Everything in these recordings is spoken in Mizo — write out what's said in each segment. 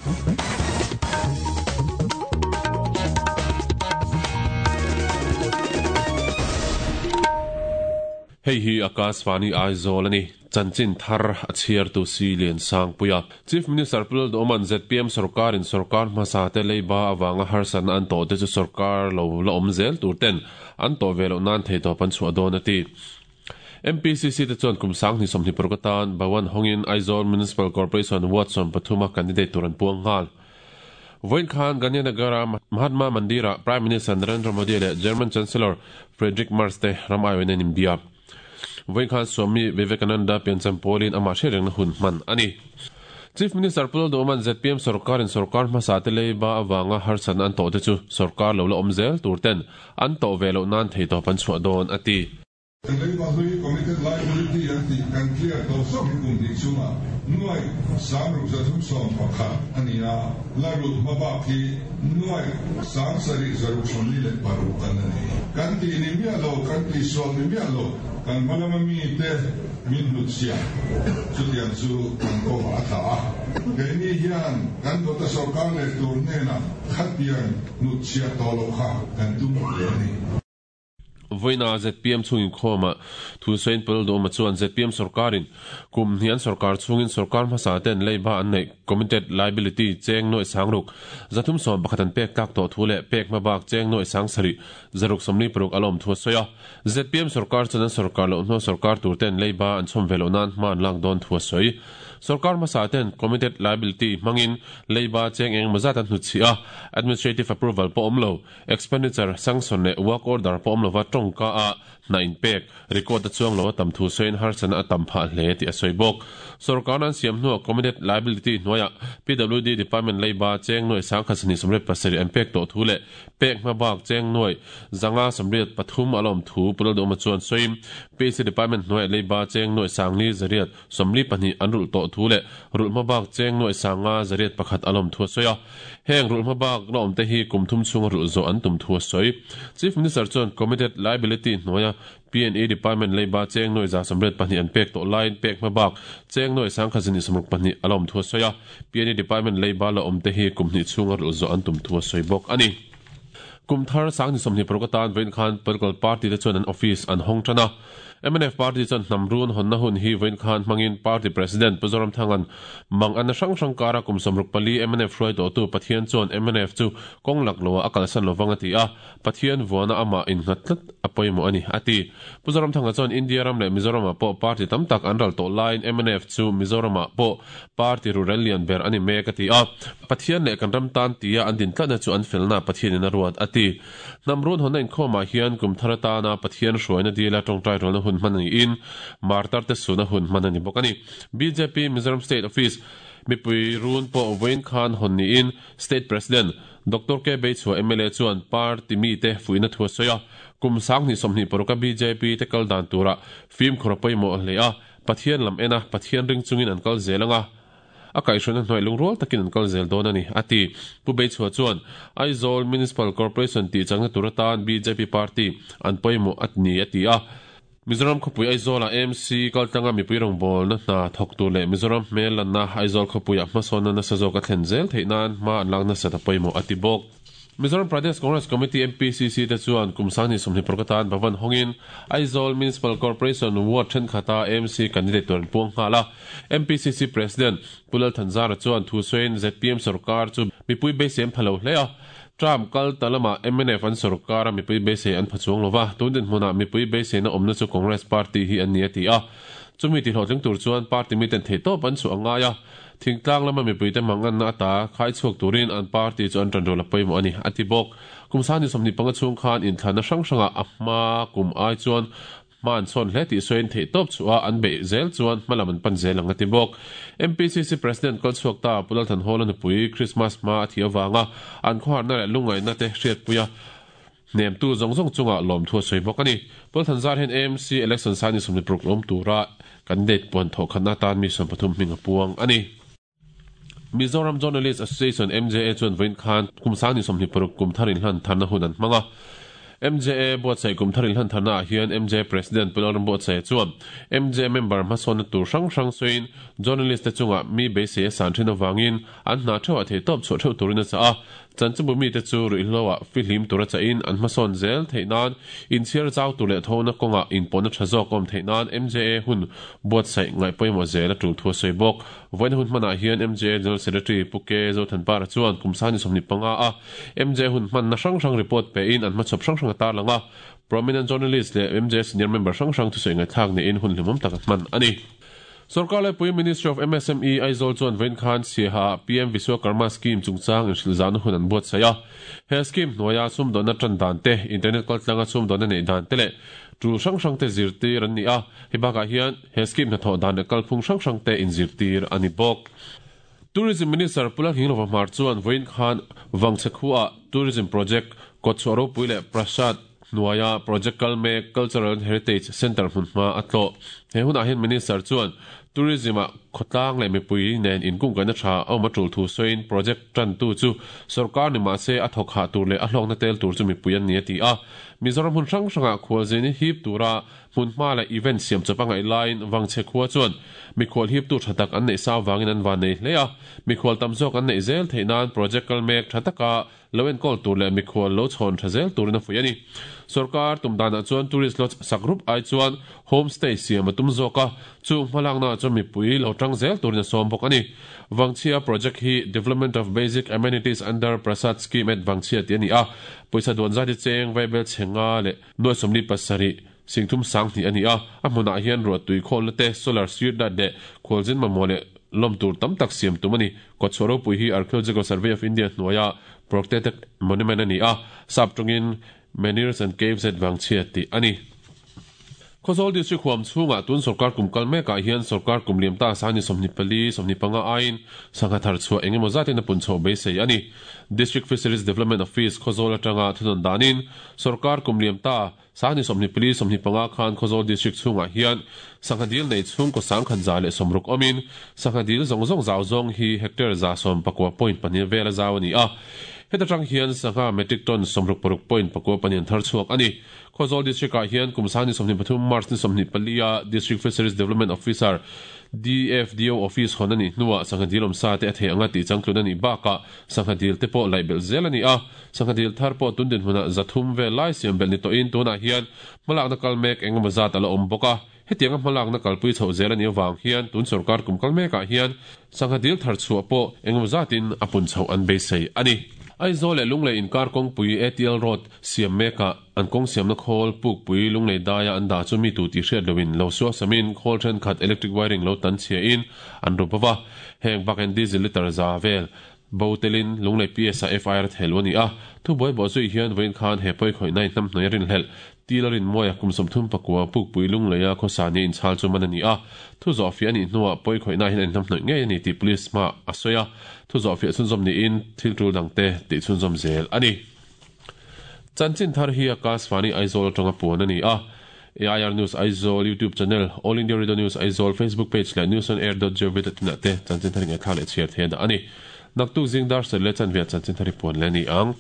Hei hi Akashvani Aizawl a ni. Chanchin thar a chhiartu Si Liansangpuia. Chief Minister Pu Lalduhawma'n zpm sorkarin sorkar hmasa te leiba avanga harsatna an tawh te chu sorkar lo la awm zel tur ten an tawh ve loh nan theihtawp an chhuah dawn a ti. MPCC te chuan kum 2026 atan Bhawan hawngin Aizawl Municipal Corporation Ward 13 a candidate tur an puang nghal. Vawiin khan Gandhinagar-a Mahatma Mandir-ah Prime Minister Narendra Modi leh German Chancellor Friedrich Merz te ram aiawhin an inbia. Vawiin khan Swami Vivekananda piancham pawlin amah hriatrengna hun hman a ni. Chief Minister Pu Lalduhawma'n zpm sorkarin sorkar hmasa te leiba avanga harsatna an tawhte chu sorkar lo la awm zel tur ten an tawh ve loh nan theihtawp an chhuah dawn a ti. Kan lei Bahlui Committed Liability an tih kan clear tawh zawk hi kum hnih chungah nuaih 6311 a ni a, la rulh hma bak hi nuaih 7646 an a ni. Kan tih ni miah lo, kan tihsual ni miah lo, kan hma lama mite min hnutchhiah chutiang chu kan kawngah a tla a. Keini hian kan dawta sorkar leh tur hnenah khatiang hnutchhiah tawh loh kha kan tum hle a ni. Vawiina zpm chhung inkhawmah thu sawiin Pu Lalduhawma chuan zpm sorkarin kum hnih an sorkar chhungin sorkar hmasa ten leiba an neih committed liability cheng nuaih sangruk 311 an pek tlak tawh thu leh pek hma bak cheng nuaih 7 646 a lawm thu a sawi a. Zpm sorkar chuan an sorkar loh hnuah sorkar tur ten leiba an chhawm ve loh nan hma an lak dawn thu a sawi. Sorkar hmasa ten committed liability hmangin leiba cheng eng emaw zat an hnutchhih a, administrative approval pawh awm lo. Expenditure sanction leh work order pawh awm lova tawngka a hna inpek record a chuang lo a tam thu sawiin harsatna a tam phah hle tih a sawi bawk. Sorkarna an siam hnuah committed liability hnuaiah PWD department leiba cheng nuaih 1227 an pek tawh thu leh pek hma bak cheng nuaih 583 a la awm thu Pu Lalduhawma chuan sawiin PHC department hnuaiah leiba cheng nuaih 5422 an rulh tawh thu leh rulh hma bak cheng nuaih 51 a la awm thu a sawi a. Heng rulh hma bak la awmte hi kum thum chhunga rulh zawh an tum thu a sawi. Chief Minister chuan Committed Liability hnuaia PNE Department leiba cheng nuaih 182 an pek tawh laiin pek hma bak cheng nuaih 1162 a la awm thu a sawi a. PNE Department leiba la awmte hi kum hnih chhunga rulh zawh an tum thu a sawi bawk a ni. Kum thar 2026 atan vawiin khan political party te chuan an office an hawng tan a. Mnf party chuan hnam run hawnna hun hi vawiin khan hmangin party president Pu Zoramthanga'n mang anna hrang hrang kara kum 64 mnf hruai tawhtu Pathian chuan mnf chu kawng lak loah a kalsan lovang a ti a, Pathian vuana amah innghat tlat a pawimawh a ni, a ti. Pu Zoramthanga chuan India ram leh Mizoramah pawh party tam tak an ral tawh laiin mnf chu Mizoramah pawh Party ruhrel lian ber a ni mek a ti a, Pathian leh kan ram tan tia an din tlatna chu an felna Pathianin a ruat a ti. Hnam run hawnna inkhawmah hian kum thar atana Pathian hruaina dila tawngtai rualna hun hman a niin Martar te suna hun hman a ni bawk a ni. Bjp Mizoram State Office mipui run pawh vawiin khan hawn niin State President Doctor K Beichhua mla chuan party mite fuihna thu a sawi a, kum 2026 a bjp te kal dan turah fimkhur a pawimawh hle a, Pathian lam en a, Pathian ring chungin an kal zel ang a, a kaihhruaina hnuai lungrual takin an kal zel dawn a ni, a ti. Pu Beichhua chuan, Aizawl Municipal Corporation tih changna tur atan bjp party an pawimawh a ni, a ti a. Mizoram khawpui Aizawlah AMC kaltlanga mipui rawngbawlna hna thawk tur leh Mizoram hmel lanna Aizawl khawpuiah hmasawnna nasa zawk a thlen zel theih nan hma an lak nasat a pawimawh, a ti bawk. Mizoram Pradesh Congress Committee, MPCC, te chuan kum 2026 atan Bhavan hawngin Aizawl Municipal Corporation Ward thenkhata AMC candidate tur an puang nghal a. MPCC President Pu Lal Thanzara chuan thu sawiin zpm sorkar chu mipui beisei an pha lo hle a, term kal ta lamah mnf an sorkar a mipui beisei an pha chuang lo va, tun dinhmunah mipui beiseina awmna chu Congress Party hi an ni a ti a. Chumi tihlawhtling tur chuan party miten theihtawp an chhuah a ngai a. Thingtlang lama mipuite manganna ata khai chhuak turin an party chu an ṭanrual a pawimawh a ni, a ti bawk. Kum 25 chhung khan inthlanna hrang hrangah a hma kum ai chuan hma an chhawn hle tih sawiin theihtawp chhuah a an beih zel chuan hma lam an pan zel ang a ti bawk. MPCC President kal chhuak ta Pu Lalthanhawla nupui Christmas hma a thih avanga an khawharna leh lungngaihna te hriatpuia Hnemtu zawng zawng chungah lawmthu a sawi bawk a ni. Paul Thanzar hian AMC election signing 26 awm tura candidate puan thawh khatna atan mi 13 hming a puang a ni. Mizoram Journalist Association, MJA, chuan vawiin khan kum 2026 kum thar inhlan tharna hun an hmang a. MJA buatsaih kum thar inhlan tharnaah hian MJA President Pu Lalrambuatsaia chuan MJA member hmasawnna tur hrang hrang sawiin journalist te chungah mi beisei a san thin avangin an hna theuhah theihtawp chhuah theuh turin a chah a. Chanchinbu mite chu ruihhloah fihlim tura chahin an hmasawn zel theih nan inchhiar zau tur leh thona kawngah inpawhna tha zawk awm theih nan MJA hun buatsaih ngaih pawimawh zel a tul thu a sawi bawk. Vawiin hun hmanah hian MJA General Secretary Pu K. Zothanpara chuan kum sani 25 a MJA hun hmanna hrang hrang report pein an hmachhawp hrang hrang a tarlang a, prominent journalist leh MJA senior member hrang hrang thusawi ngaihthlak niin hun hlimawm tak a hman a ni. Sorkar laipui Ministry of MSME Aizawl chuan vawiin khan Siaha-ah PM Vishwakarma Scheme chungchang inhrilhzahna hun an buatsaih a. He scheme hnuaia sumdawnna tan dan te, internet kaltlanga sumdawnna neih dan te leh tul hrang hrang te zirtir an ni a. Hei bakah hian he scheme hnathawh dan leh kalphung hrang hrang te inzirtir a ni bawk. Tourism Minister Pu Lalhinglova Hmar chuan vawiin khan Vangchhe khuaah Tourism Project kawtchhuah ropui leh Prasad hnuaia project kal mek Cultural and Heritage Centre hmunhma a tlawh. He hunah hian Minister chuan Tourism-ah khawtlang leh mipui nen inkungkaihna tha a awm a tul thu sawiin project tantu chu sorkar ni mahse a thawk hah tur leh a hlawkna tel tur chu mipui an ni a ti a. Mizoram hmun hrang hrangah khualzin hip tura Hmunhma leh event siam chawp a ngaih laiin Vangchhe khua chuan mikhual hiptu tha tak an neih sa avangin an van nei hle a, mikhual tam zawk an neih zel theih nan project kal mek tha taka lo enkawl tur leh mikhual lo chhawn tha zel turin a fuih a ni. Sorkar tum danah chuan tourist lodge sak rup ai chuan home stay siam a tum zawk a, chung hmalaknaah chuan mipui lo tang zel turin a sawm bawk a ni. Vangchhia project hi Development of Basic Amenities Under Prasad Scheme at Vangchhia tih a ni a, pawisa duan zat hi cheng vaibel chhe nga leh Nuai 47, Singthum 2000 a ni a, a hmunah hian ruahtui khawlna te, solar street light leh khualzin mamawh leh lawm tur tam tak siam tum a ni. Kawtchhuah ropui hi Archaeological Survey of India hnuaia protected monument a ni a, sap tawngin Menhirs and Caves at Vangchhia tih a ni. Khawzawl District huam chhungah tun sorkar kum kal mekah hian sorkar kum liam ta sani 24, 25 aiin sangha thar chhuah eng emaw zatin a pun chhoh beisei a ni. District Fisheries Development Office Khawzawl atanga thunawn danin Sorkar kum liam ta, Sangni 24, 25 khan Khawzawl District chhungah hian sangha dil nei chhungkaw 1160 awmin, sangha dil zawng zawng zau zawng hi hectare 119.2 vela zau a ni a. Heta tang hian sangha metric ton 66.4 an thar chhuak a ni. Khawzawl District-ah hian kum Sangni 23 March ni 24 a District Fisheries Development Officer, DFDO, Office hawn a nih hnuah sangha dil awmsa te a theih anga tih changtlun a nih bakah sangha dil te pawh laih belh zel a ni a. Sangha dil thar pawh tun dinhmunah 300 vel lai siam belh ni tawhin tunah hian hmalakna kal mek eng emaw zat a la awm bawk a. Hetianga hmalakna kalpui chhoh zel a nih avang hian tun sorkar kum kal mekah hian sangha dil thar chhuah pawh eng emaw zatin a pun chhoh an beisei a ni. Aizawl leh Lunglei inkar kawngpui ATL Road siam mekah an kawng siamna khawl pukpui Lunglei daia an dah chu mi tu tih hriat loin lo suasamin khawl thenkhat electric wiring lo tan chhiain an ru bawk a. Heng bakin diesel litre za vel Bo telin Lunglei PS ah FIR a thehluh a ni a, thubuai bawh zui hian vawiin khan he pawi khawihna in hnamhnuai a rinhlelh. Til a rinmawi a, kum 34 Pukpui Lungleia khawsa nia inchhal chu man a ni a, thu zawhfiah a nih hnuah pawi khawihna hian a inhnamhnawih ngei a ni tih Police hmaah a sawi a, thu zawhfiah chhunzawm niin thil tul dangte tih chhunzawm zel a ni. Chanchin thar hi Akashvani Aizawl atanga puan a ni a, AIR News Aizawl YouTube channel, All India Radio News Aizawl Facebook page leh newsonair.gov.in ah te chanchin thar ngaihthlak leh chhiar thei a dah a ni. Naktuk zing dar sel leh chanve ah chanchin thar hi puan leh a ni ang.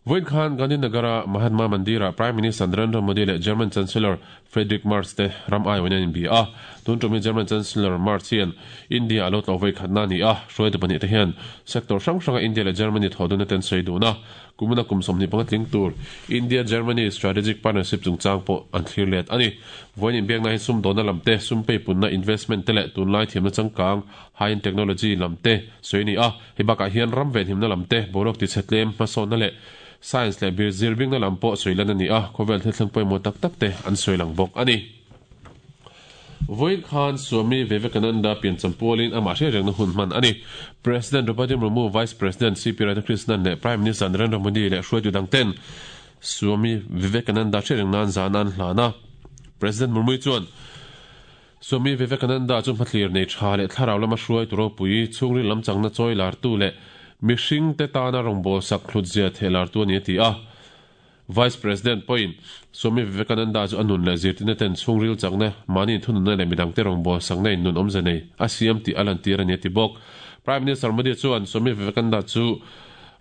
Vawiin khan Gandhinagar-a Mahatma Mandir-ah Prime Minister Narendra Modi leh German Chancellor Friedrich Merz te ram aiawin an inbia a. Tun tum hi German Chancellor Merz hian India a lo tlawh vawi khatna a ni a, hruaitu pahnih te hian sector hrang hranga India leh Germany thawhdunna te an sawi dun a. Kumina kum 25 tling tur India-Germany Strategic Partnership chungchang pawh an thlir let a ni. Vawiin inbiakna hi sumdawnna lam te, sum peipunna, investment, te leh tunlai thiamna changkang, high-end technology, lam te sawi a ni a. Hei bakah hian ram venhimna lam te, boruak tichhe tlem, hmasawnna leh science leh zirbingna lam pawh sawi lan a ni a, khawvel thil thleng pawimawh tak tak te an sawi lang bawk a ni. Vawiin khan Swami Vivekananda piancham pualin amah hriat rengna hun hman a ni. President Draupadi Murmu, Vice President CP Radhakrishnan leh Prime Minister Narendra Modi leh hruaitu dangten Swami Vivekananda hriat reng nan zan an hlan a. President Murmu chuan Swami Vivekananda chu hmathlir nei tha leh thlarau lama hruaitu ropui, chhungril lam changna chawi lartu leh mihringte tana rawngbawlsak hlutzia theh lartu a ni a ti a. Vice President pawhin Swami Vivekananda chu a nun leh zirtirna ten chhungril chakna, mahni inthununna leh midangte rawngbawlsakna in nun awmze nei a siam tih a lantir a ni a ti bawk. Prime Minister Modi chuan Swami Vivekananda chu.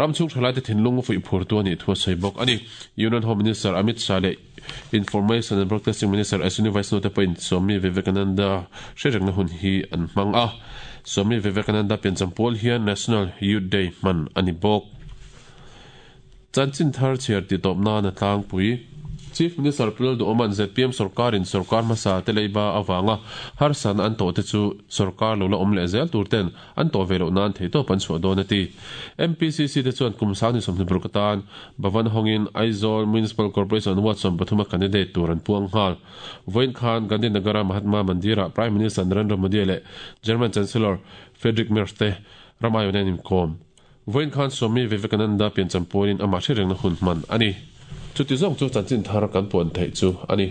Ram chhung thalaite thinlung fuih phurtu a nih thu a sawi bawk a ni. Union Home Minister Amit Shah leh Information and Broadcasting Minister Ashwini Vaishnaw te pawhin Swami Vivekananda hrerengna hun hi an hmang a. Swami Vivekananda piancham pawl hian National Youth Day hman a ni bawk. Chanchin thar chhiar tihtawp nan a tlangpui. Chief Minister Pu Lalduhawma'n zpm sorkarin sorkar hmasa te leiba avanga harsatna an tawhte chu sorkar lo la awm leh zel tur ten an tawh ve loh nan theihtawp an chhuah dawn a ti. MPCC te chuan kum sang ni 20 paruk atan Bhavan hawngin Aizawl Municipal Corporation Ward 13 a candidate tur an puang nghal. Vawiin khan Gandhinagar-a Mahatma Mandir-ah Prime Minister Narendra Modi leh German Chancellor Friedrich Merz te ram aiawhna an inkawm. Vawiin khan Swami Vivekananda piancham pawhin amah hre rengna hun hman a ni. Chuti zawng chu chanchin thar kan puan theih chu a ni.